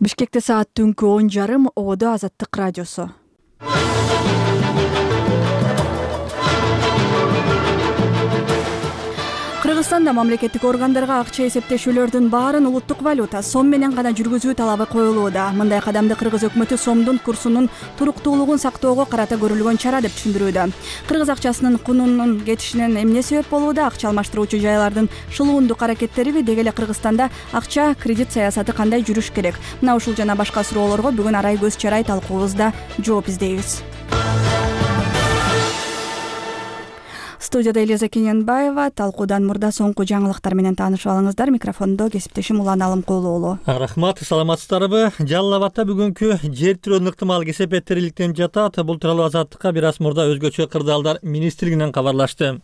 Бишкекте саат түнкү 10:30 Ободо Азаттык радиосу. Кыргызстанда мамлекеттик органдарга акча эсептешүүлөрдүн баарын улуттук валюта сом менен гана жүргүзүү талабы коюлууда. Мындай кадамды кыргыз өкмөтү сомдун курсунун туруктуулугун сактоого карата көрүлгөн чара деп түшүндүрүүдө. Кыргыз акчасынын кунунун кетишине эмне себеп болууда? Акча алмаштыруучу жайлардын шылуундук аракеттериби? Деги эле Кыргызстанда акча кредит саясаты кандай жүрүш керек? Мына ушул жана башка суроолорго бүгүн Арай Көз Чарай талкуубузда жооп издейбиз. Студияда Элиза Кененбаева. Талкуудан мурда соңку жаңылыктар менен таанышып алыңыздар. Микрофондо кесиптешим Улан Алымкулуулу. Рахмат, саламатсыздарбы? Жалал Абадта бүгүнкү жер тирөөнүн ыктымал кесепеттери иликтенип жатат. Бул тууралуу Азаттыкка бир аз мурда өзгөчө кырдаалдар министрлигинен кабарлашты.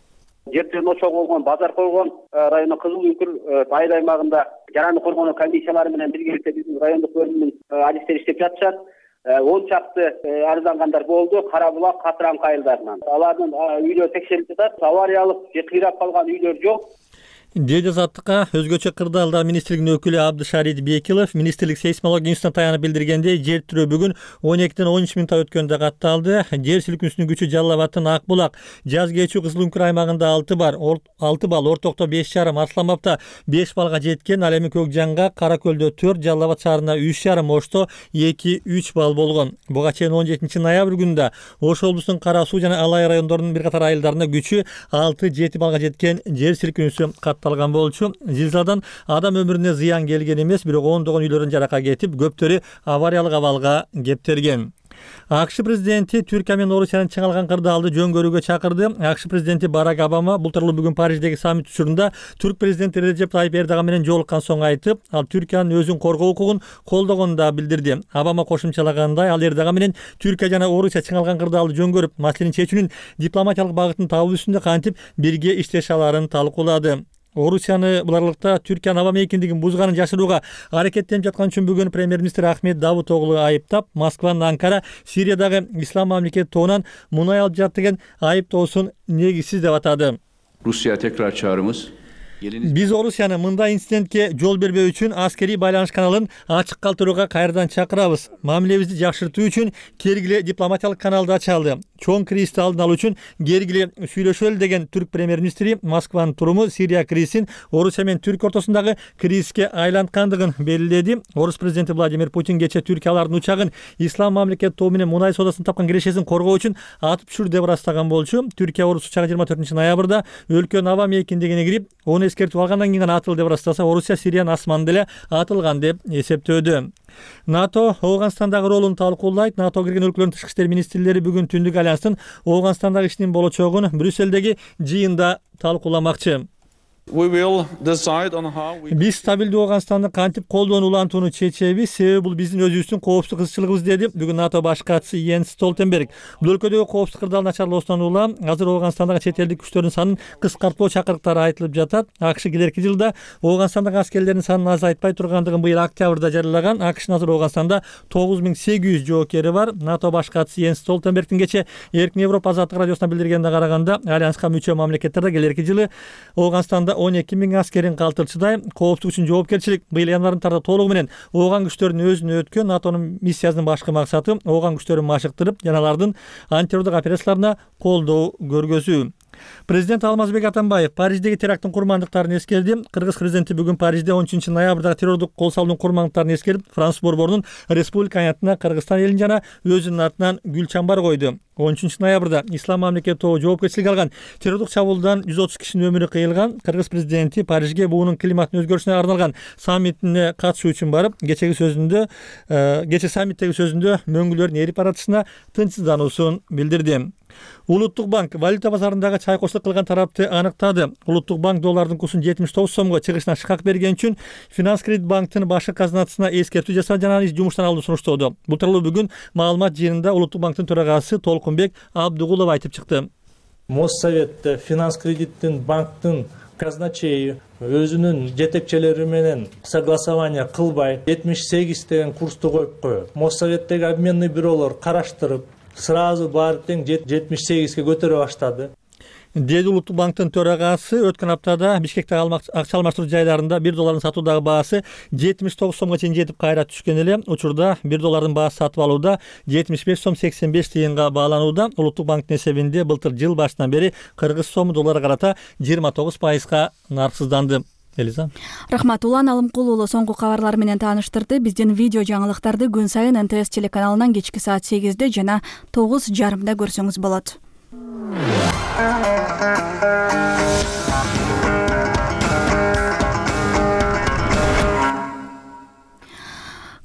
Жер тирөөнү ошого болгон базар койгон району Кызыл Үңкүр айыл аймагында жараны коргонуу комиссиялары менен биргеликте биздин райондук бөлүмдүн адистери иштеп жатышат. 10 чакты арыздангандар болду Кара Булак, Катыраңкы айылдарынан. Алардын үйлөрү текшерилип жатат. Авариялык же кыйрап калган үйлөр жок. Деди Азаттыкка өзгөчө кырдаалдар министрлигинин өкүлү Абдышарит Бекилов министрлик сейсмология институтуна таянып билдиргендей, жер тирөө бүгүн 12-ден 13 мүнөттө өткөндө катталды. Жер силкинүүсүнүн күчү Жалал Абадтын Ак Булак, Жаз Кечүү Кызыл Үңкүр аймагында 6 балл, Ортокто 5,5, Арсланбапта 5 баллга жеткен. Ал эми Көкжанга, Кара Көлдө 4, Жалал Абад шаарына 3,5, Ошто 2-3 балл болгон. Буга чейин 17 ноябрь күнүндө Ош облусунун Кара Суу жана Алай райондорунун бир катар айылдарында күчү 6-7 баллга жеткен жер силкинүүсү катталган болчу. Зилзаладан адам өмүрүнө зыян келген эмес, бирок ондогон үйлөрдүн жаракат кетип, көптөрү авариялык абалга кептелген. АКШ президенти Түркия менен Орусиянын чыңалган кырдаалды жөн көрүүгө чакырды. АКШ президенти Барак Обама бул тууралуу бүгүн Париждеги саммит учурунда түрк президенти Реджеп Тайип Эрдоган менен жолуккан соң айтып, ал Түркиянын өзүн коргоо укугун колдогонун да билдирди. Обама кошумчалагандай, ал Эрдоган менен Түркия жана Орусия чыңалган кырдаалды жөн көрүп, маселени чечүүнүн дипломатиялык багытын табуу үстүндө кантип бирге иштеше аларын талкуулады. Орусияны бул аралыкта Түркиянын аба мейкиндигин бузганын жашырууга аракеттенип жаткан үчүн бүгүн премьер-министр Ахмет Давутоглу айыптап, Москванын Анкара Сириядагы ислам мамлекети тобунан мунай алып жатты деген айыптоосун негизсиз деп атады. Rusya tekrar çağrımız. Биз Орусияны мындай инцидентке жол бербөө үчүн аскерий байланыш каналын ачык калтырууга кайрадан чакырабыз. Мамилебизди жакшыртуу үчүн кергиле дипломатиялык каналды ачалы. Чоң кризисти алдын алуу үчүн кергиле сүйлөшөлү деген түрк премьер-министри Москванын туруму Сирия кризисин Орусия менен Түркия ортосундагы кризиске айланткандыгын белгиледи. Орус президенти Владимир Путин кечээ Түркиялардын учагын ислам мамлекети тобу менен мунай соодасын тапкан кирешесин коргоо үчүн атып түшүрдү деп ырастаган болчу. Түркия Орус учагы 24 ноябрда өлкөнүн аба мейкиндигине кирип, оны эскертип алгандан кийин гана атылды деп ырастаса, Орусия Сириянын асманында эле атылган деп эсептөөдө. НАТО Ооганстандагы ролун талкуулайт. НАТО кирген өлкөлөрдүн тышкы иштер министрлери бүгүн Түндүк альянстын Ооганстандагы ишинин болочогун Брюссельдеги жыйында талкууламакчы. Биз стабилдүү Ооганстанды кантип колдоону улантууну чечебиз, себеби бул биздин өзүбүздүн коопсуздук кызчылыгыбыз, деди бүгүн НАТО баш катчысы Йенс Столтенберг. Бул өлкөдөгү коопсуздук кырдаалын начарлоосунан улам азыр Ооганстандагы чет элдик күчтөрдүн санын кыскартпоо чакырыктары айтылып жатат. АКШ келерки жылда Ооганстандагы аскерлердин санын азайтпай тургандыгын быйыл октябрда жарыялаган. АКШнын азыр Ооганстанда 9800 жоокери бар. НАТО баш катчысы Йенс Столтенбергдин кечээ Эркин Европа Азаттык радиосуна билдиргенине караганда, альянска мүчө мамлекеттерде келерки жылы Ооганстанда 12.000 аскерин калтырчыдай. Коопсуздук үчүн жоопкерчилик быйыл январында толугу менен Ооган күчтөрүнүн өзүнө өткөн. НАТОнун миссиясынын башкы максаты Ооган күчтөрүн машыктырып, жана алардын антитеррорлук операцияларына колдоо көргөзүү. Президент Алмазбек Атамбаев Париждеги теракттын курмандыктарын эскерди. Кыргыз президенти бүгүн Парижде 13 ноябрдагы террордук кол салуунун курмандыктарын эскерип, Француз борборунун республика аянтына Кыргызстан элин жана өзүнүн атынан гүл чамбар койду. 13 ноябрда ислам мамлекети тобу жоопкерчилик алган террордук чабуулдан 130 кишинин өмүрү кыйылган. Кыргыз президенти Парижге буунун климаттын өзгөрүшүнө арналган саммитине катышуу үчүн барып, кече саммиттеги сөзүндө мөңгүлөрдүн эрип баратышына тынчсыздануусун билдирди. Улуттук банк валюта базарындагы чайкоочулук кылган тарапты аныктады. Улуттук банк доллардын курсун 79 сомго чыгышына шыкак берген үчүн Финанс Кредит банктын башкы казыначысына эскертүү жасады жана аны жумуштан алууну сунуштоодо. Бул тууралуу бүгүн маалымат жыйынында Улуттук банктын төрагасы Толкунбек Абдугулов айтып чыкты. Моссовет Финанс Кредиттин банктын казначейи өзүнүн жетекчилери менен согласование кылбай 78 деген курсту коюп коет. Моссоветтеги обменный бюролор караштырып, сразу баары тең 78ге көтөрө баштады. деди Улуттук банктын төрагасы өткөн аптада Бишкектеги акча алмаштыруу жайларында $1 сатуудагы баасы 79 сомго чейин жетип кайра түшкөн эле. Учурда $1 баасы сатып алууда 75 сом 85 тыйынга бааланууда. Улуттук банктын эсебинде былтыр жыл башынан бери кыргыз сому долларга карата 29% нарксызданды. Элиза. Рахмат. Улан Алымкул уулу соңку кабарлар менен тааныштырды. Биздин видео жаңылыктарды күн сайын НТС телеканалынан кечки саат 8-де жана 9:30 көрсөңүз болот.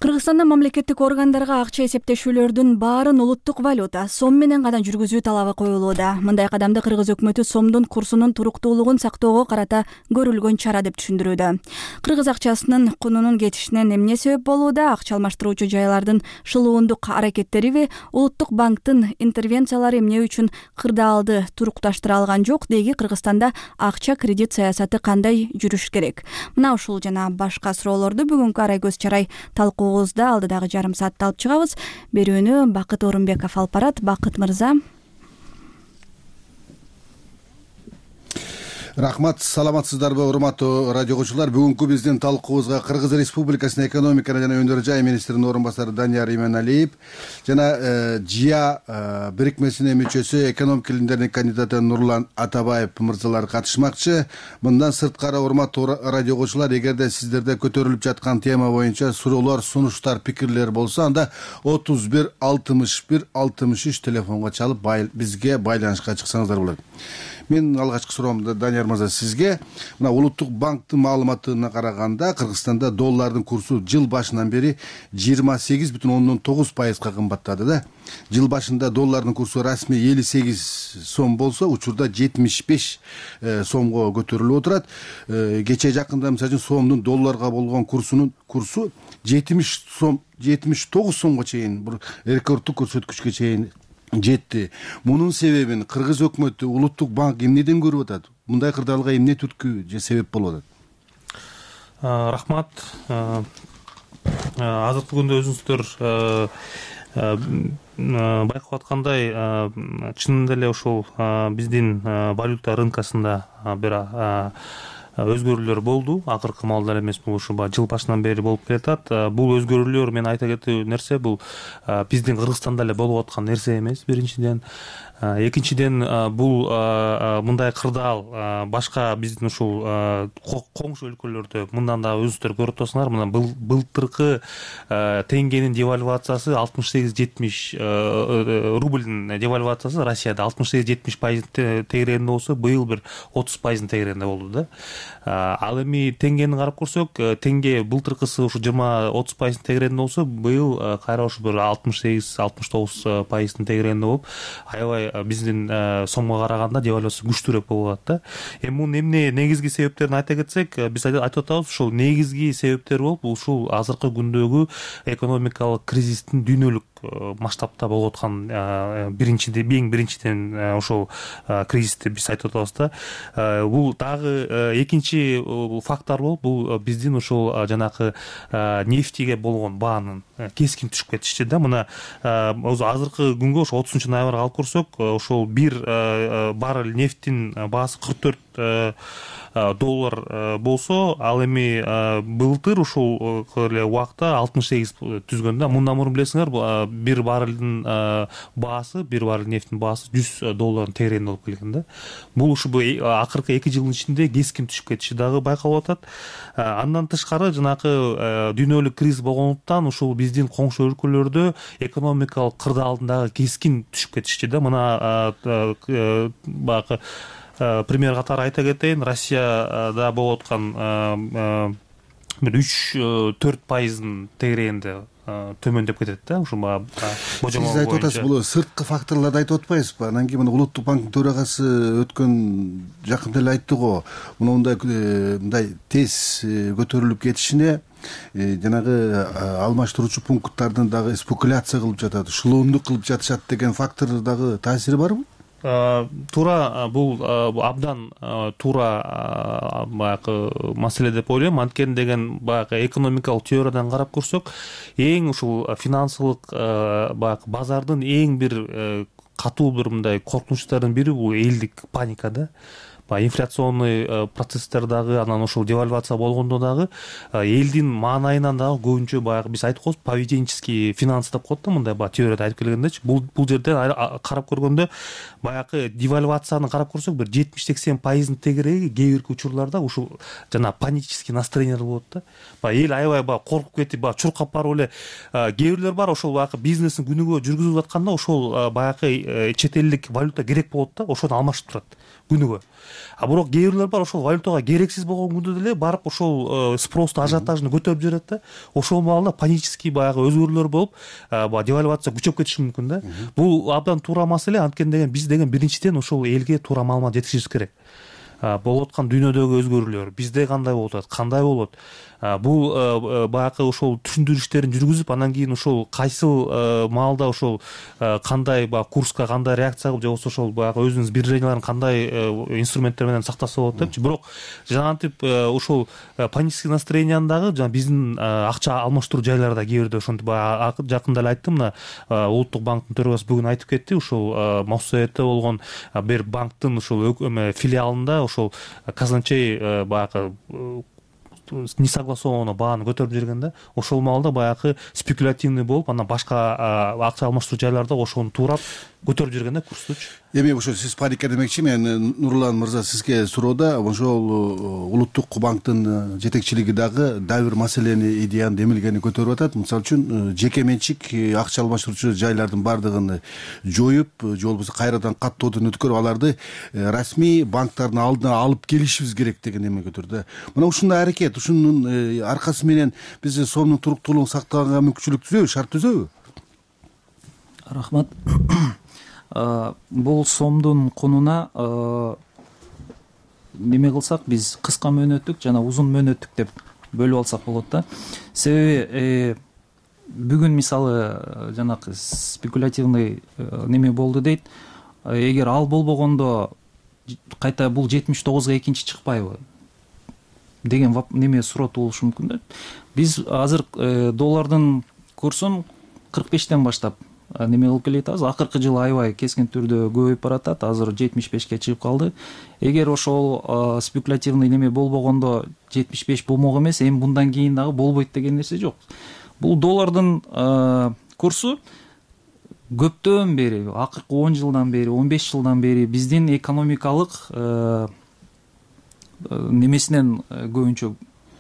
Кыргызстанда мамлекеттик органдарга акча эсептешүүлөрдүн баарын улуттук валюта сом менен гана жүргүзүү талабы коюлууда. Мындай кадамды кыргыз өкмөтү сомдун курсунун туруктуулугун сактоого карата көрүлгөн чара деп түшүндүрүүдө. Кыргыз акчасынын кунунун кетишине эмне себеп болууда? Акча алмаштыруучу жайлардын шылуундук аракеттериби, улуттук банктын интервенциялары эмне үчүн кырдаалды турукташтыра алган жок? Деги Кыргызстанда акча кредит саясаты кандай жүрүш керек? Мына ушул жана башка суроолорду бүгүнкү арай көз чарай талкуу алдыдагы жарым саатта алып чыгабыз. Берүүнү Бакыт Орунбеков алып барат. Бакыт мырза. Рахмат, саламатсыздарбы, урматтуу радио угуучулар. Бүгүнкү биздин талкуубузга Кыргыз Республикасынын экономика жана өнөр жай министринин орун басары Данияр Иманалиев жана ЖИА бирикмесинин мүчөсү экономика илимдеринин кандидаты Нурлан Атабаев мырзалар катышмакчы. Мындан сырткары, урматтуу радио угуучулар, эгерде сиздерде көтөрүлүп жаткан тема боюнча суроолор, сунуштар, пикирлер болсо, анда 31 61 63 телефонго чалып бизге байланышка чыксаңыздар болот. Мен алгачкы суроомду Данияр мырза сизге. Мына Улуттук банктын маалыматына караганда Кыргызстанда доллардын курсу жыл башынан бери 28,9% кымбаттады да. Жыл башында доллардын курсу расмий 58 сом болсо, учурда 75 сомго көтөрүлүп отурат. Кече жакында мисалы үчүн сомдун долларга болгон курсу 79 сомго чейин, бир рекордтук көрсөткүчкө чейин жетти. Мунун себебин Кыргыз өкмөтү, Улуттук банк эмнеден көрүп атат? Мындай кырдаалга эмне түрткү же себеп болуп атат? Рахмат. Азыркы күндө өзүңүздөр байкап аткандай, чынында эле ушул биздин валюта рынкасында бир өзгөрүүлөр болду. Акыркы маалда эмес, бул ушу жыл башынан бери болуп келатат. Бул өзгөрүүлөр, мен айта кетүү нерсе, бул биздин Кыргызстанда эле болуп аткан нерсе эмес, биринчиден. Экинчиден, бул мындай кырдаал башка биздин ушул коңшу өлкөлөрдө мындан да өзүңүздөр көрүп атасыңар. Мына былтыркы теңгенин девальвациясы 68-70, рубльдин девальвациясы Россияда 68-70% тегерегинде болсо, быйыл бир 30% тегерегинде болду да. Ал эми теңгени карап көрсөк, теңге былтыркысы ушу 20-30% тегерегинде болсо, быйыл кайра ушу бир 68-69% тегерегинде болуп, аябай биздин сомго караганда девальвация күчтүүрөөк болуп атат да. Эми мунун эмне негизги себептерин айта кетсек, биз айтып атабыз, ушул негизги себептер болуп, ушул азыркы күндөгү экономикалык кризистин дүйнөлүк масштабта болуп аткан эң биринчиден ошол кризисти биз айтып атабыз да. Бул дагы экинчи фактор болуп, бул биздин ошол жанакы нефтиге болгон баанын кескин түшүп кетишти да. Мына азыркы күнгө ошо 30-ноябрга алып көрсөк, ошол бир баррель нефтин баасы $44 болсо, ал эми былтыр ушул эле убакта 68 түзгөн да. Мындан мурун билесиңер, бир баррельдин баасы, бир баррель нефтин баасы $100 тегерегинде болуп келген да. Бул ушу акыркы 2 жылдын ичинде кескин түшүп кетиши дагы байкалып атат. Андан тышкары, жанакы дүйнөлүк кризис болгондуктан ушул биздин коңшу өлкөлөрдө экономикалык кырдаалдын дагы кескин түшүп кетишти да. Мына баягы пример катары айта кетейин, Россияда болуп аткан бир 3-4% тегерегинде төмөндөп кетет да. Ушу Сиз айтып атасыз, бул сырткы факторлорду айтып атпайсызбы? Анан кийин Улуттук банктын төрагасы өткөн жакында эле айтты го, мындай тез көтөрүлүп кетишине жанагы алмаштыруучу пункттардын дагы спекуляция кылып жатат, шылуундук кылып жатышат деген фактор дагы таасири барбы? Туура, бул абдан туура баягы маселе деп ойлойм. Анткени деген баягы экономикалык теориядан карап көрсөк, эң ушул финансылык баягы базардын эң бир катуу бир мындай коркунучтардын бири бул элдик паника да. Инфляционный процесстер дагы, анан ошол девальвация болгондо дагы элдин маанайынан дагы көбүнчө баягы биз айтып коебуз поведенческий финанс деп коет да, мындай баягы теорияда айтып келгендечи. Бул жерде карап көргөндө баягы девальвацияны карап көрсөк бир 70-80% тегереги кээ бирки учурларда ушул жана панический настроениялар болот да. Эл аябай коркуп кетип, чуркап барып эле кээ бирлер бар, ошол баягы бизнесин күнүгө жүргүзүп атканда ошол баягы чет элдик валюта керек болот да, ошону алмашып турат күнүгө. Бирок кээ бирлер бар, ошол валютага керексиз болгон күндө деле барып ошол спросту, ажиотажды көтөрүп жиберет да. Ошол маалда панический баягы өзгөрүүлөр болуп, девальвация күчөп кетиши мүмкүн да. Бул абдан туура маселе, анткени биз биринчиден ошол элге туура маалымат жеткизишибиз керек. Болуп аткан дүйнөдөгү өзгөрүүлөр бизде кандай болуп атат, кандай болот, бул баягы ошол түшүндүрүштөрүн жүргүзүп, анан кийин ошол кайсыл маалда ошол кандай курска кандай реакция кылып, же болбосо ошол баягы өзүнүн сбереженияларын кандай инструменттер менен сактаса болот депчи. Бирок жанагынтип ошол панический настроениянын дагы жана биздин акча алмаштыруу жайларда кээ бирде ошентип баягы жакында эле айттым, мына Улуттук банктын төрагасы бүгүн айтып кетти, ушул Моссоветте болгон бир банктын ушул филиалында ошол казначей баягы несогласованно бааны көтөрүп жүргөн да. Ошол маалда баягы спекулятивный болуп, анан башка акча алмаштыруу жайларда ошону туурап көтөрүп жүргөн да курстучу. Эми ошо сиз паника демекчи, мен Нурлан мырза сизге суроода ошол Улуттук банктын жетекчилиги дагы бир маселени, идеяны, демилгени көтөрүп атат. Мисалы үчүн жеке менчик акча алмаштыруучу жайлардын баардыгын жоюп, же болбосо кайрадан каттоодон өткөрүп, аларды расмий банктардын алдына алып келишибиз керек деген эме көтөрдү. Мына ушундай аракет, ушунун аркасы менен биз сомдун туруктуулугун сактаганга мүмкүнчүлүк түзөбү, шарт түзөбү? Рахмат. Бул сомдун кунуна неме кылсак, биз кыска мөөнөттүк жана узун мөөнөттүк деп бөлүп алсак болот да. Себеби бүгүн мисалы жанакы спекулятивный неме болду дейт. Эгер ал болбогондо кайта бул 79га экинчи чыкпайбы деген неме суроо туулушу мүмкүн да. Биз азыр доллардын курсун 45тен баштап неме кылып келатабыз. Акыркы жылы аябай кескин түрдө көбөйүп баратат. Азыр 75ке чыгып калды. Эгер ошол спекулятивный неме болбогондо 75 болмок эмес, эми мындан кийин дагы болбойт деген нерсе жок. Бул доллардын курсу көптөн бери, акыркы 10 жылдан бери, 15 жылдан бери биздин экономикалык немесинен көбүнчө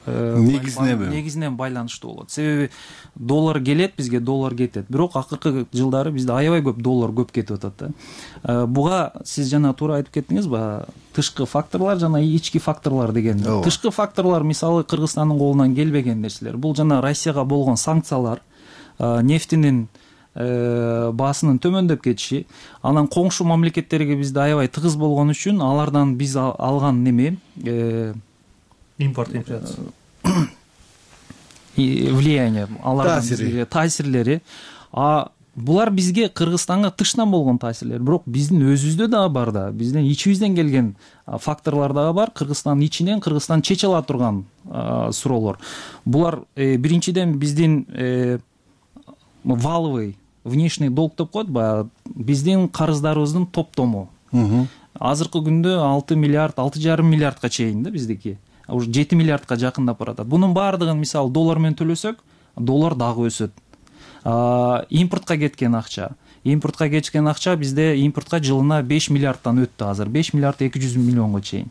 негизинен байланыштуу болот. Себеби доллар келет, бизге доллар кетет. Бирок акыркы жылдары бизде аябай көп доллар көп кетип атат да. Буга сиз жана туура айтып кеттиңиз, тышкы факторлор жана ички факторлор деген. Тышкы факторлор мисалы Кыргызстандын колунан келбеген нерселер. Бул жана Россияга болгон санкциялар, нефтинин баасынын төмөндөп кетиши, анан коңшу мамлекеттерге бизде аябай тыгыз болгон үчүн алардан биз алган неме импорт, инфляция, влияние, алардын таасирлери, булар бизге Кыргызстанга тышынан болгон таасирлер. Бирок биздин өзүбүздө дагы бар да, биздин ичибизден келген факторлор дагы бар. Кыргызстандын ичинен Кыргызстан чече ала турган суроолор. Булар биринчиден биздин валовый внешний долг деп коет, биздин карыздарыбыздын топтому. Азыркы күндө 6 миллиард, 6,5 миллиардка чейин да биздики. Уже 7 миллиардка жакындап баратат. Бунун баардыгын мисалы доллар менен төлөсөк, доллар дагы өсөт. Импортко кеткен акча бизде импортко жылына 5 миллиардтан өттү азыр. 5 миллиард 200 миллионго чейин.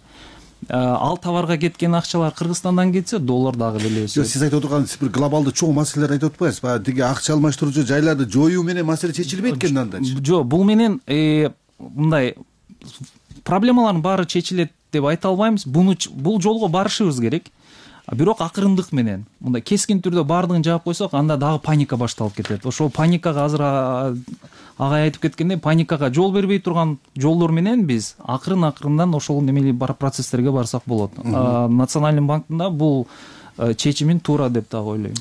Ал товарга кеткен акчалар Кыргызстандан кетсе, доллар дагы деле өсөт. Сиз айтып отурган бир глобалдуу чоң маселелер айтып атпайсызбы? Баягы тиги акча алмаштыруучу жайларды жоюу менен маселе чечилбейт экен андачы. Жок, бул менен мындай проблемалардын баары чечилет деп айта албайбыз. Бул жолго барышыбыз керек. Бирок акырындык менен, мындай кескин түрдө баардыгын жаап койсок, анда дагы паника башталып кетет. Ошол паникага азыр агай айтып кеткендей, паникага жол бербей турган жолдор менен биз акырындан ошол немели процесстерге барсак болот. Национальный банктын да бул чечимин туура деп дагы ойлойм.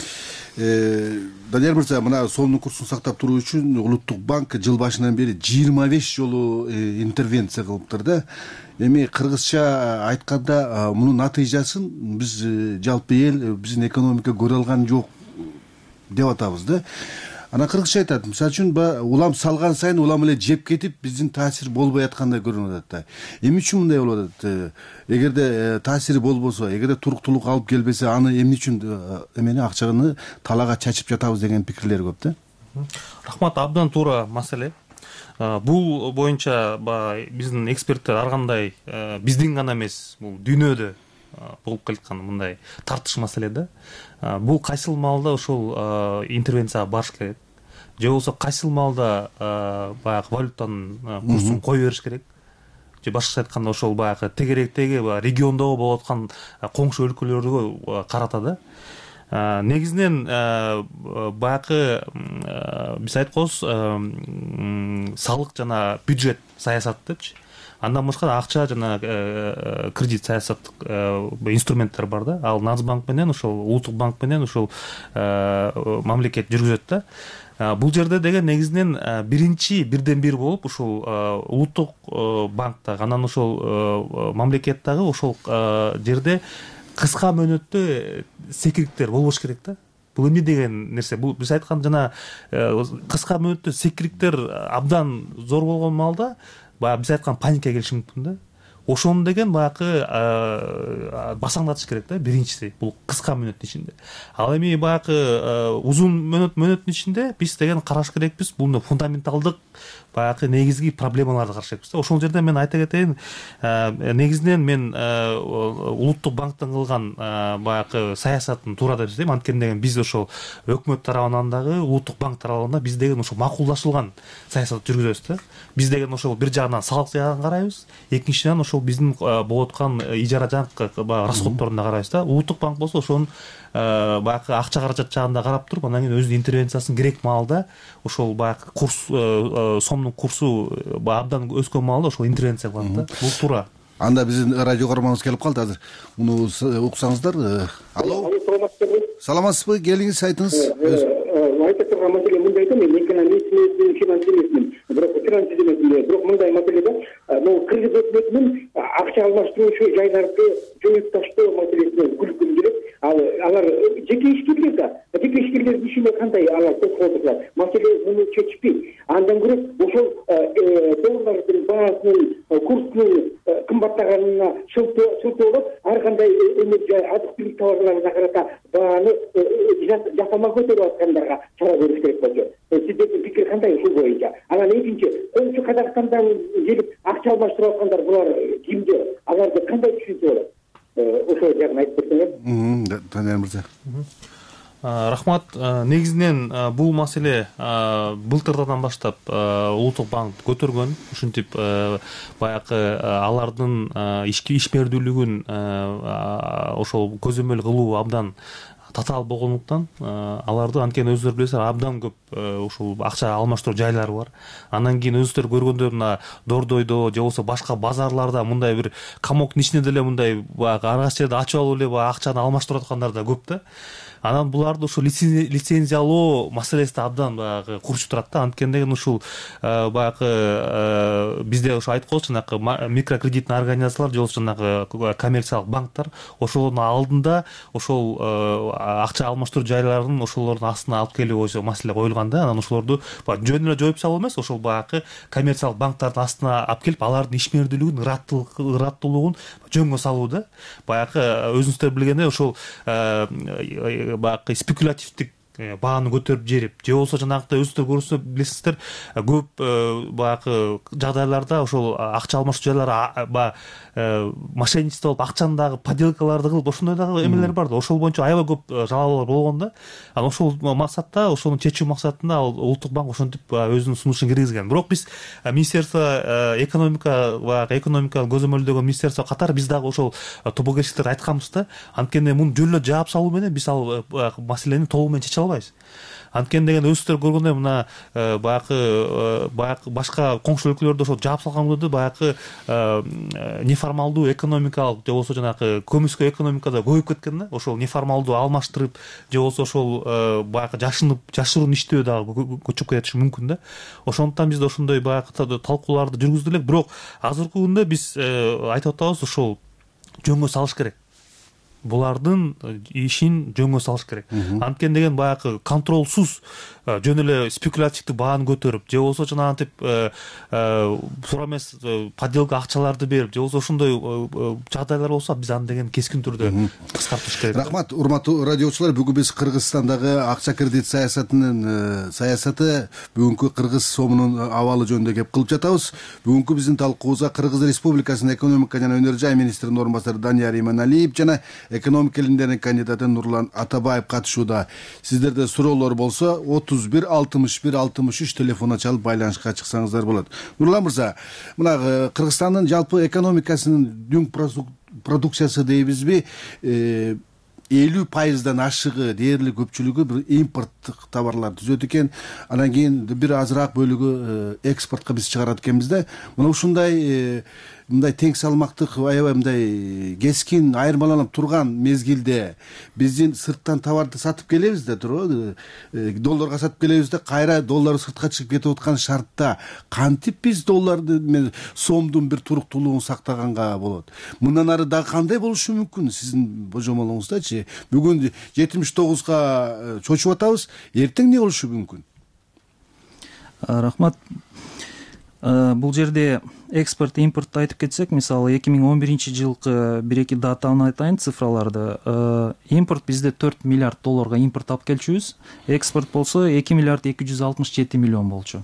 Данияр мырза, мына сомдун курсун сактап туруу үчүн Улуттук банк жыл башынан бери 25 жолу интервенция кылыптыр да. Эми кыргызча айтканда мунун натыйжасын биз жалпы эл, биздин экономика көрө алган жок деп атабыз да. Анан кыргызча айтат, мисалы үчүн баягы улам салган сайын улам эле жеп кетип, биздин таасир болбой аткандай көрүнүп атат да. Эмне үчүн мындай болуп атат? Эгерде таасири болбосо, эгерде туруктуулук алып келбесе, аны эмне үчүн эмени акчаны талаага чачып жатабыз деген пикирлер көп да. Рахмат, абдан туура маселе. Бул боюнча биздин эксперттер ар кандай биздин гана эмес, бул дүйнөдө болуп келаткан мындай тартыш маселе да. Бул кайсыл маалда ошол интервенцияга барыш керек, же болбосо кайсыл маалда баягы валютанын курсун кое бериш керек, же башкача айтканда ошол баягы тегеректеги региондогу болуп аткан коңшу өлкөлөргө карата да. Негизинен баягы биз айтканбыз салык жана бюджет саясаты депчи. Андан башка акча жана кредит саясаттык инструменттер бар да. Ал Нацбанк менен ошол улуттук банк менен ошол мамлекет жүргүзөт да. Бул жерде деген негизинен бирден бир болуп ушул улуттук банктагы анан ошол мамлекет дагы ошол жерде кыска мөөнөттө секириктер болбош керек да. Бул эмне деген нерсе? Бул биз айткан жана кыска мөөнөттө секириктер абдан зор болгон маалда баягы биз айткан паника келиши мүмкүн да. Ошону деген баягы басаңдатыш керек да, биринчиси бул кыска мөөнөттүн ичинде. Ал эми баягы узун мөөнөттүн ичинде биз деген караш керекпиз, бул фундаменталдык баягы негизги проблемаларды караш керекпиз да. Ошол жерде мен айта кетейин, негизинен мен улуттук банктын кылган баягы саясатын туура деп эсептейм. Анткени деген биз ошол өкмөт тарабынан дагы улуттук банк тарабынан да биз деген ошол макулдашылган саясат жүргүзөбүз да. Биз деген ошол бир жагынан салык жагын карайбыз, экинчиден ошол биздин болуп аткан ижара жакы расходторуна карайбыз да. Улуттук банк болсо ошонун баягы акча каражат жагында карап туруп, андан кийин өзүнүн интервенциясын керек маалда ошол баягы курс сомдун курсу абдан өскөн маалда ошол интервенция кылат да. Бул туура. Анда биздин радио көрөрманыбыз келип калды азыр. Муну уксаңыздар. Алло. Саламатсызбы? Келиңиз, айтыңыз. Айта турган маселе мындай да, мен экономист эмесмин, финанс эмесмин, бирок финанс эмесмин, бирок мындай маселе да. Могу кыргыз өкмөтүнүн акча алмаштыруучу жайларды жоюп таштоо маселесине күлкүм келет. Алар жеке ишкерлер да, жеке ишкерлердин ишине кандай алар тоскоолдук кылат? Маселе муну чечпейт. Андан көрө ошол доллардын баасынын курсунун кымбаттаганына шылтоолоп, ар кандай азык-түлүк товарларына карата бааны жасама көтөрүп аткандарга чара көрүш керек болчу. Сиздердин пикир кандай ушул боюнча? Анан экинчи, коңшу Казакстандан келип акча алмаштырып аткандар булар кимдер? Аларды кандай түшүнсө болот? Ошол жагын айтып берсеңер. Данияр мырза. Рахмат. Негизинен бул маселе былтырдан баштап улуттук банк көтөргөн. Ушинтип баягы алардын ишмердүүлүгүн ошол көзөмөл кылуу абдан татаал болгондуктан аларды анткени өздөрү билесиздер абдан көп ушул акча алмаштыруу жайлары бар. Андан кийин өзүңүздөр көргөндөй мына Дордойдо же болбосо башка базарларда мындай бир камоктун ичинде деле мындай баягы ар кайсы жерде ачып алып эле баягы акчаны алмаштырып аткандар да көп да. Анан буларды ушул лицензиялоо маселеси да абдан баягы курчуп турат да. Анткени деген ушул баягы бизде ошо айтканбыз, жанагы микрокредитный организациялар же болбосо жанагы коммерциялык банктар ошолордун алдында ошол акча алмаштыруу жайларын ошолордун астына алып келүү боюнча маселе коюлган да. Анан ошолорду жөн эле жоюп салуу эмес, ошол баягы коммерциялык банктардын астына алып келип алардын ишмердүүлүгүн, ыраттуулугун жөнгө салуу да. Баягы өзүңүздөр билгендей ошол баягы спекулятивдик бааны көтөрүп жиберип, же болбосо жанагындай өзүңүздөр көрсөңүздөр билесиздер, көп баягы жагдайларда ошол акча алмаштыруу жайлары баягы мошенничество болуп, акчаны дагы подделкаларды кылып, ошондой дагы эмелер бар да. Ошол боюнча аябай көп жалалар болгон да. Анан ошол максатта, ошону чечүү максатында ал улуттук банк ошентип өзүнүн сунушун киргизген. Бирок биз министерство экономика баягы экономиканы көзөмөлдөгөн министерство катары биз дагы ошол тобокелчилерге айтканбыз да. Анткени муну жөн эле жаап салуу менен биз ал маселени толугу менен чече албайбыз. Анткени деген өзүңүздөр көргөндөй мына баягы башка коңшу өлкөлөрдө ошол жаап салган күндө баягы неформалдуу экономикалык же болбосо жанагы көмүскө экономикада көбөйүп кеткен да. Ошол неформалдуу алмаштырып же болбосо ошол баягы жашыруун иштөө дагы көчүп кетиши мүмкүн да. Ошондуктан бизде ошондой баягы талкууларды жүргүздү элек. Бирок азыркы күндө биз айтып атабыз, ошол жөнгө салыш керек. булардын ишин жөнгө салыш керек. Анткени деген баягы контролсуз жөн эле спекулятивдүү бааны көтөрүп, же болбосо жанагынтип туура эмес подделка акчаларды берип, же болбосо ошондой жагдайлар болсо биз аны деген кескин түрдө кыскартыш керек. Рахмат, урматтуу радиочулар. Бүгүн биз Кыргызстандагы акча кредит саясаты бүгүнкү кыргыз сомунун абалы жөнүндө кеп кылып жатабыз. Бүгүнкү биздин талкуубузга Кыргыз Республикасынын экономика жана өнөр жай министринин орун басары Данияр Иманалиев жана экономика илимдеринин кандидаты Нурлан Атабаев катышууда. Сиздерде суроолор болсо 31 61 63 телефонуна чалып байланышка чыксаңыздар болот. Нурлан мырза, мына Кыргызстандын жалпы экономикасынын дүң продукциясы дейбизби, 50% ашыгы, дээрлик көпчүлүгү бир импорттук товарлар түзөт экен. Анан кийин бир азыраак бөлүгү экспортко биз чыгарат экенбиз да. Мына ушундай мындай тең салмактык, аябай мындай кескин айырмаланып турган мезгилде биздин сырттан товарды сатып келебиз да, туурабы? Долларга сатып келебиз да, кайра доллар сыртка чыгып кетип аткан шартта кантип биз долларды, сомдун бир туруктуулугун сактаганга болот? Мындан ары дагы кандай болушу мүмкүн сиздин божомолуңуздачы? Бүгүн 79га чочуп атабыз, эртең эмне болушу мүмкүн? Рахмат. Бул жерде экспорт, импортду айтып кетсек, мисалы 2011-жылкы бир-эки датаны айтайын, цифраларды. Импорт бизде 4 миллиард долларга импорт алып келчүбүз. Экспорт болсо 2 миллиард 267 миллион болчу.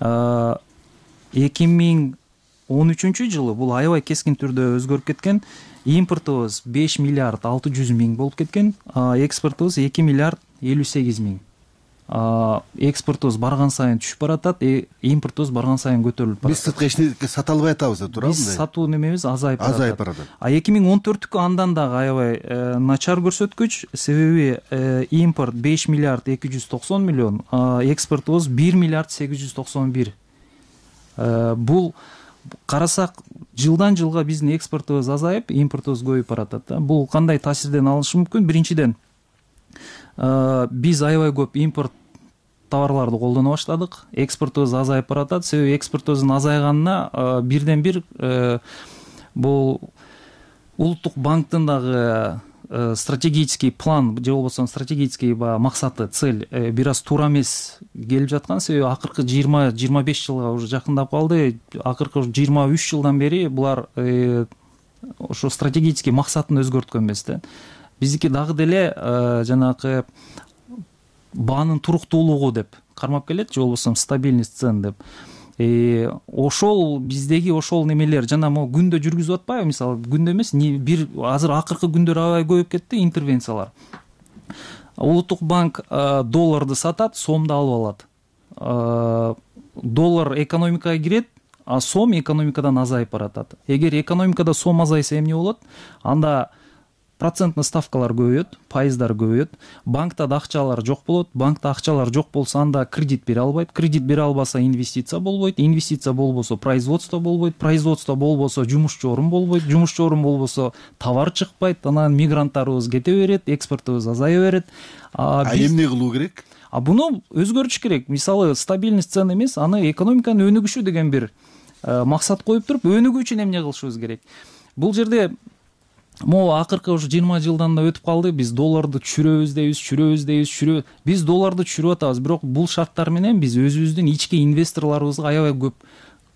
2013-жылы бул аябай кескин түрдө өзгөрүп кеткен. Импортубуз 5 миллиард 600 миң болуп кеткен, экспортубуз 2 миллиард 58 миң. Экспортубуз барган сайын түшүп баратат, импортубуз барган сайын көтөрүлүп баратат. Биз сырткы эчтеке сата албай атабыз да, туурабы? Биз сатуу немебиз азайып баратат. 2014-кү андан дагы аябай начар көрсөткүч, себеби импорт 5 миллиард 290 миллион, экспортубуз 1 миллиард 891. Бул карасак, жылдан жылга биздин экспортубуз азайып, импортубуз көбөйүп баратат да. Бул кандай таасирден алышы мүмкүн? Биринчиден, биз аябай көп импорт товарларды колдоно баштадык, экспортубуз азайып баратат. Себеби экспортубуздун азайганына бирден бир бул улуттук банктын дагы стратегический план, же болбосо стратегический максаты, цель бир аз туура эмес келип жаткан. Себеби акыркы 20-25 жылга уже жакындап калды. Акыркы 23 жылдан бери булар ошо стратегический максатын өзгөрткөн эмес да. Биздики дагы деле жанагы баанын туруктуулугу деп кармап келет, же болбосо стабильность цен деп. Ошол биздеги ошол немелер жана могу күндө жүргүзүп атпайбы? Мисалы, күндө эмес, бир азыр акыркы күндөр аябай көбөйүп кетти интервенциялар. Улуттук банк долларды сатат, сомду алып алат. Доллар экономикага кирет, а сом экономикадан азайып баратат. Эгер экономикада сом азайса эмне болот? Анда проценттик ставкалар көбөйөт, пайыздар көбөйөт, банкта да акчалар жок болот. Банкта акчалар жок болсо, анда кредит бере албайт. Кредит бере албаса, инвестиция болбойт. Инвестиция болбосо, производство болбойт. Производство болбосо, жумушчу орун болбойт. Жумушчу орун болбосо, товар чыкпайт. Анан мигранттарыбыз кете берет, экспортубуз азая берет. Эмне кылуу керек? Буну өзгөртүш керек. Мисалы, стабильность цен эмес, аны экономиканын өнүгүшү деген бир максат коюп туруп, өнүгүү үчүн эмне кылышыбыз керек? Бул жерде могу акыркы уже 20 жылдан да өтүп калды. Биз долларды түшүрөбүз дейбиз. Биз долларды түшүрүп атабыз, бирок бул шарттар менен биз өзүбүздүн ички инвесторлорубузга аябай көп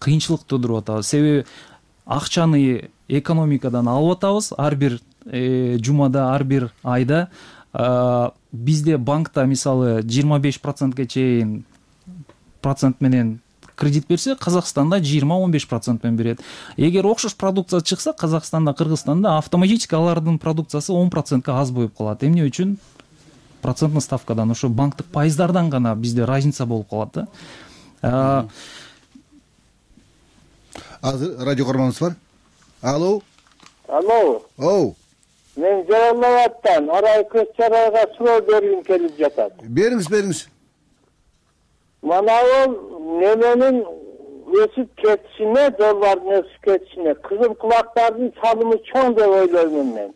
кыйынчылык туудуруп атабыз. Себеби акчаны экономикадан алып атабыз ар бир жумада, ар бир айда. Бизде банкта мисалы 25%га чейин процент менен кредит берсе, Казакстанда 20-15% менен берет. Эгер окшош продукция чыкса, Казакстанда, Кыргызстанда автоматически алардын продукциясы 10%га аз болуп калат. Эмне үчүн? Проценттик ставкадан, ошо банктык пайыздардан гана бизде разница болуп калат да. Азыр радио көрмөңүз бар. Алло. Мен Жаралабадтан Арай көз чарайга суроо бергим келип жатат. Бериңиз. Манабул неменин өсүп кетишине, доллардын өсүп кетишине кызыл кулактардын салымы чоң деп ойлоймун мен.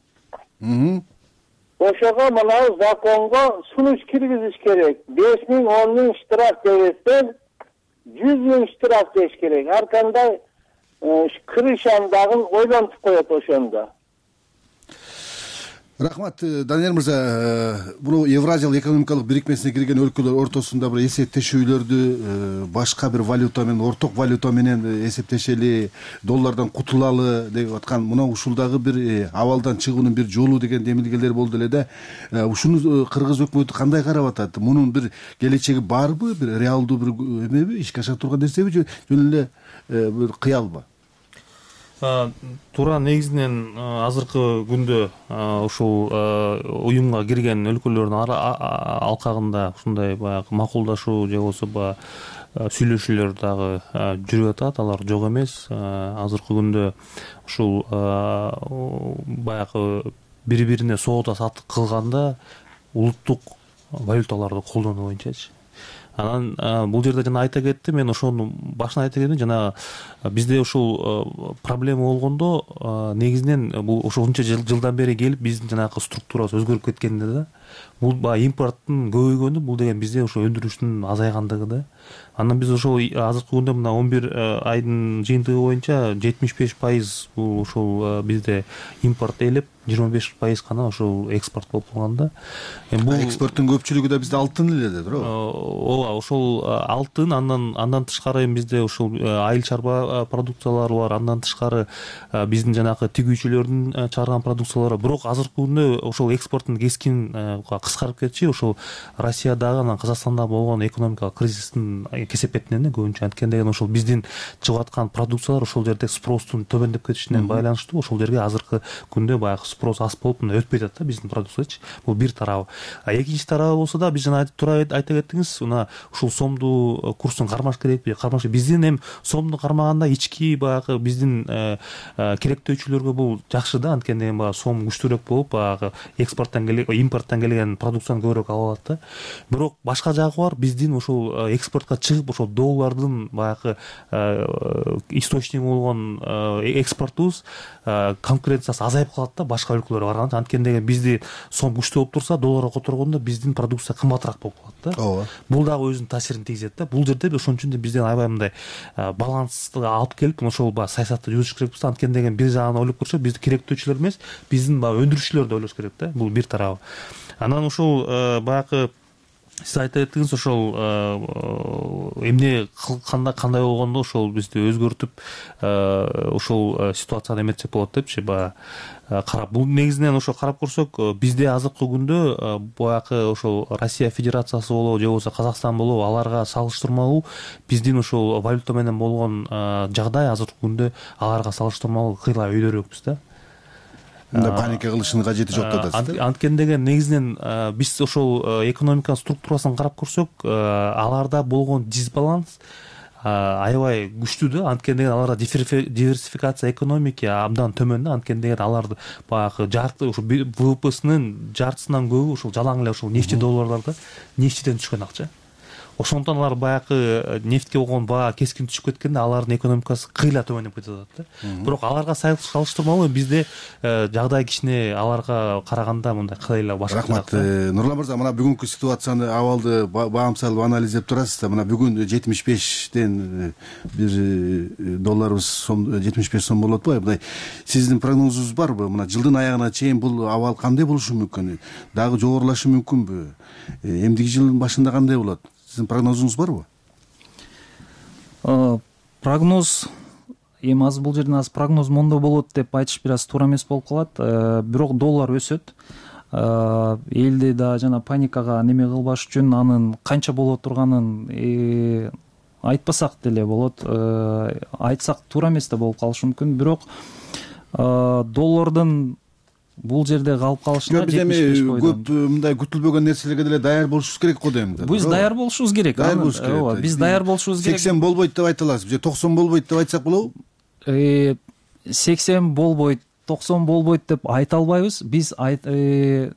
Ошого манабу законго сунуш киргизиш керек. 5 миң, 10 миң штраф дебестен 100 миң штраф деш керек. Ар кандай крышаны дагы ойлонтуп коет ошондо. Рахмат, Данияр мырза. Бул Евразиялык экономикалык бирикмесине кирген өлкөлөр ортосунда бир эсептешүүлөрдү башка бир валюта менен, орток валюта менен эсептешели, доллардан кутулалы деп аткан мына ушулдагы бир абалдан чыгуунун бир жолу деген демилгелер болду эле да. Ушуну кыргыз өкмөтү кандай карап атат? Мунун бир келечеги барбы? Бир реалдуу бир эмеби, ишке аша турган нерсеби же жөн эле бир кыялбы? Туура негизинен азыркы күндө ушул уюмга кирген өлкөлөрдүн алкагында ушундай баягы макулдашуу же болбосо баягы сүйлөшүүлөр дагы жүрүп атат. Алар жок эмес. Азыркы күндө ушул баягы бири бирине соода саттык кылганда улуттук валюталарды колдонуу боюнчачы. Анан бул жерде жана айта кеттим, мен ошону башынан айта кеттим, жана бизде ушул проблема болгондо негизинен бул ушунча жылдан бери келип биздин жанагы структурабыз өзгөрүп кеткенде да. Бул баягы импорттун көбөйгөнү, бул деген бизде ошо өндүрүштүн азайгандыгы да. Анан биз ошол азыркы күндө мына 11 айдын жыйынтыгы боюнча 75% бул ушул бизде импорт ээлеп, 25% гана ошол экспорт болуп калган да. Бул экспорттун көпчүлүгү да бизде алтын эле да, туурабы? Ооба, ошол алтын, андан тышкары бизде ушул айыл чарба продукциялары бар, андан тышкары биздин жанагы тигүүчүлөрдүн чыгарган продукциялары. Бирок азыркы күндө ошол экспорттун кескин кыскарып кетчи. Ошол Россиядагы, анан Казакстанда болгон экономикалык кризистин кесепетинен көбүнчө анткени деген ошол биздин чыгып аткан продукциялар ошол жерде спростун төмөндөп кетишинен байланыштуу. Ошол жерге азыркы күндө баягы спрос аз болуп мына өтпөй атат да биздин продукциячы. Бул бир тарабы. Экинчи тарабы болсо да, биз жана туура айта кеттиңиз, мына ушул сомду курсун кармаш керекпи? Кармаш. Биздин эми сомду кармаганда ички баягы биздин керектөөчүлөргө бул жакшы да, анткени эми баягы сом күчтүүрөөк болуп, баягы импорттон келген продукцияны көбүрөөк алып алат да. Бирок башка жагы бар, биздин ошол экспортко чыгып ошол доллардын баягы источниги болгон экспортубуз конкуренциясы азайып калат да башка өлкөлөргө караганда. Анткени деген бизди сом күчтүү болуп турса, долларга которгондо биздин продукция кымбатыраак болуп калат да. Ооба. Бул дагы өзүнүн таасирин тийгизет да. Бул жерде ошон үчүн бизден аябай мындай балансты алып келип, ошол баягы саясатты жүргүзүш керекпиз. Анткени деген бир жагынан ойлоп көрсөк, бизди керектөөчүлөр эмес, биздин баягы өндүрүүчүлөр да ойлош керек да. Бул бир тарабы. Анан ушул баягы сиз айта кеттиңиз, ошол эмне кандай болгондо ошол бизди өзгөртүп ошол ситуацияны эметсек болот депчи баягы карап. Бул негизинен ошо карап көрсөк, бизде азыркы күндө баягы ошол Россия Федерациясы болобу же болбосо Казакстан болобу, аларга салыштырмалуу биздин ошол валюта менен болгон жагдай азыркы күндө аларга салыштырмалуу кыйла өйдөрөөкпүз да. Паника кылыштын кажети жок деп атасыз. Анткени деген негизинен биз ошол экономика структурасын карап көрсөк, аларда болгон дисбаланс аябай күчтүү да. Анткени деген аларда диверсификация экономики абдан төмөн да. Анткени деген алар баягы жарты ошо ВВПсынын жартысынан көбү ошол жалаң эле ошол нефти долларларда, нефтиден түшкөн акча. Ошондон алар баягы нефтке болгон баа кескин түшүп кеткенде алардын экономикасы кыйла төмөндөп кетип атат да. Бирок аларга салыштырмалуу бизде жагдай кичине аларга караганда мындай кыйла башка. Рахмат, Нурлан мырза, мына бүгүнкү ситуацияны, абалды баамсалып анализдеп турасыз да. Мына бүгүн 75ден бир долларыбыз сом 75 сом болот атпайбы? Мындай сиздин прогнозуңуз барбы? Мына жылдын аягына чейин бул абал кандай болушу мүмкүн? Дагы жогорулашы мүмкүнбү? Эмдиги жылдын башында кандай болот? Сиздин прогнозуңуз барбы? Прогноз эми азыр бул жерден азыр прогноз мондо болот деп айтыш бир аз туура эмес болуп калат. Бирок доллар өсөт. Элди да жана паникага неме кылбаш үчүн анын канча боло турганын айтпасак деле болот. Айтсак туура эмес да болуп калышы мүмкүн. Бирок доллардын бул жерде калып калышына биз эми көп мындай күтүлбөгөн нерселерге деле даяр болушубуз керек го дейм да. Биз даяр болушубуз керек. Ооба, биз даяр болушубуз керек. 80 болбойт деп айта аласыз же 90 болбойт деп айтсак болобу? 80 болбойт, 90 болбойт деп айта албайбыз. Биз 60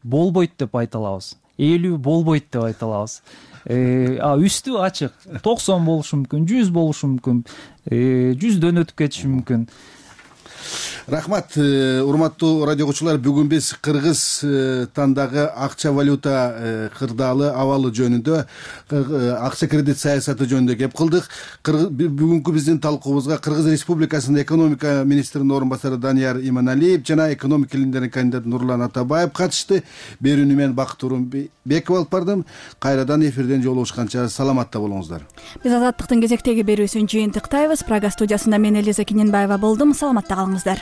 болбойт деп айта алабыз. 50 болбойт деп айта алабыз. Үстү ачык. 90 болушу мүмкүн, 100 болушу мүмкүн, 100дөн өтүп кетиши мүмкүн. Рахмат, урматтуу радио окуучулар. Бүгүн биз Кыргызстандагы акча валюта кырдаалы абалы жөнүндө, акча кредит саясаты жөнүндө кеп кылдык. Бүгүнкү биздин талкуубузга Кыргыз Республикасынын экономика министринин орун басары Данияр Иманалиев жана экономика илимдеринин кандидаты Нурлан Атабаев катышты. Берүүнү мен Бакыт Турунбеков алып бардым. Кайрадан эфирден жолугушканча саламатта болуңуздар. Биз Азаттыктын кезектеги берүүсүн жыйынтыктайбыз. Прага студиясында мен Элиза Кененбаева болдум. Саламатта калыңыздар.